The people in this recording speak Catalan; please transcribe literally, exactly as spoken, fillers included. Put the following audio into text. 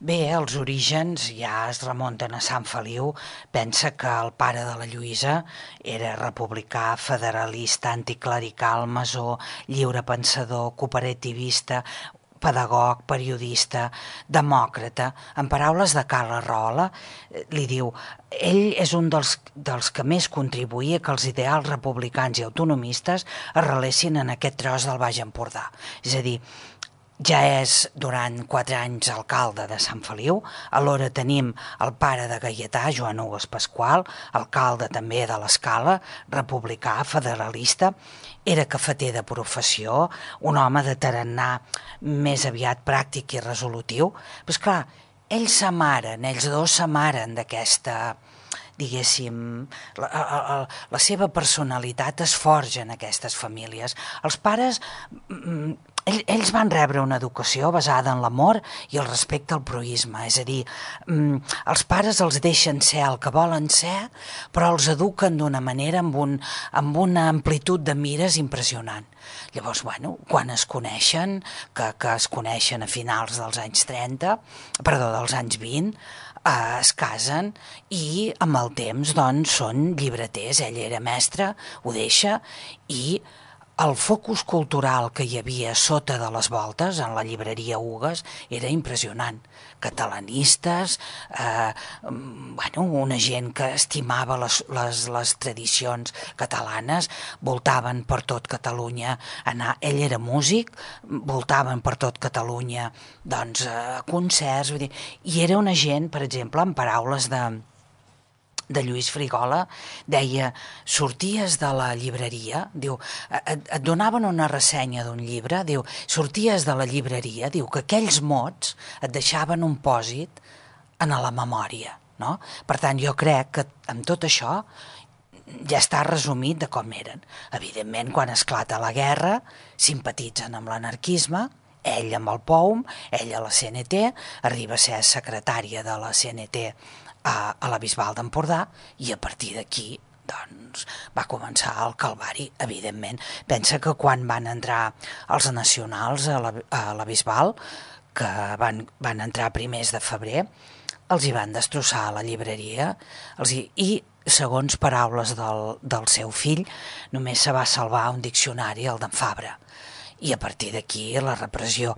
Bé, els orígens ja es remunten a Sant Feliu. Pensa que el pare de la Lluïsa era republicà, federalista, anticlerical, masó, lliurepensador, cooperativista, pedagog, periodista, demòcrata. En paraules de Carla Rahola, eh, li diu, ell és un dels, dels que més contribuïa que els ideals republicans i autonomistes arrelessin en aquest tros del Baix Empordà. És a dir, ja és durant quatre anys alcalde de Sant Feliu, alhora tenim el pare de Gaietà, Joan Hugues Pasqual, alcalde també de l'Escala, republicà, federalista, era cafeter de professió, un home de tarannà més aviat pràctic i resolutiu, però esclar, ells s'amaren, ells dos s'amaren d'aquesta, diguéssim, la, la, la seva personalitat es forja en aquestes famílies. Els pares, ells van rebre una educació basada en l'amor i el respecte al proïsme, és a dir, els pares els deixen ser el que volen ser, però els eduquen d'una manera amb, un, amb una amplitud de mires impressionant. Llavors, bueno, quan es coneixen, que, que es coneixen a finals dels anys trenta, perdó, dels anys vint, eh, es casen i amb el temps doncs són llibreters. Ell era mestre, ho deixa, i el focus cultural que hi havia sota de les voltes en la llibreria Hugues era impressionant. Catalanistes, eh, bueno, una gent que estimava les, les, les tradicions catalanes, voltaven per tot Catalunya, anar, ell era músic, voltaven per tot Catalunya doncs, a concerts, vull dir, i era una gent, per exemple, en paraules de de Lluís Frigola, deia, sorties de la llibreria, diu, et, et donaven una ressenya d'un llibre, diu, sorties de la llibreria, diu, que aquells mots et deixaven un pòsit en la memòria, no? Per tant, jo crec que amb tot això ja està resumit de com eren. Evidentment, quan esclata la guerra, simpatitzen amb l'anarquisme, ell amb el P O U M, ell a la C N T, arriba a ser secretària de la C N T a, a la Bisbal d'Empordà, i a partir d'aquí doncs, va començar el calvari, evidentment. Pensa que quan van entrar els nacionals a la, a la Bisbal, que van, van entrar a primers de febrer, els hi van destrossar la llibreria, els hi, i segons paraules del, del seu fill, només se va salvar un diccionari, el d'en Fabra. I a partir d'aquí la repressió.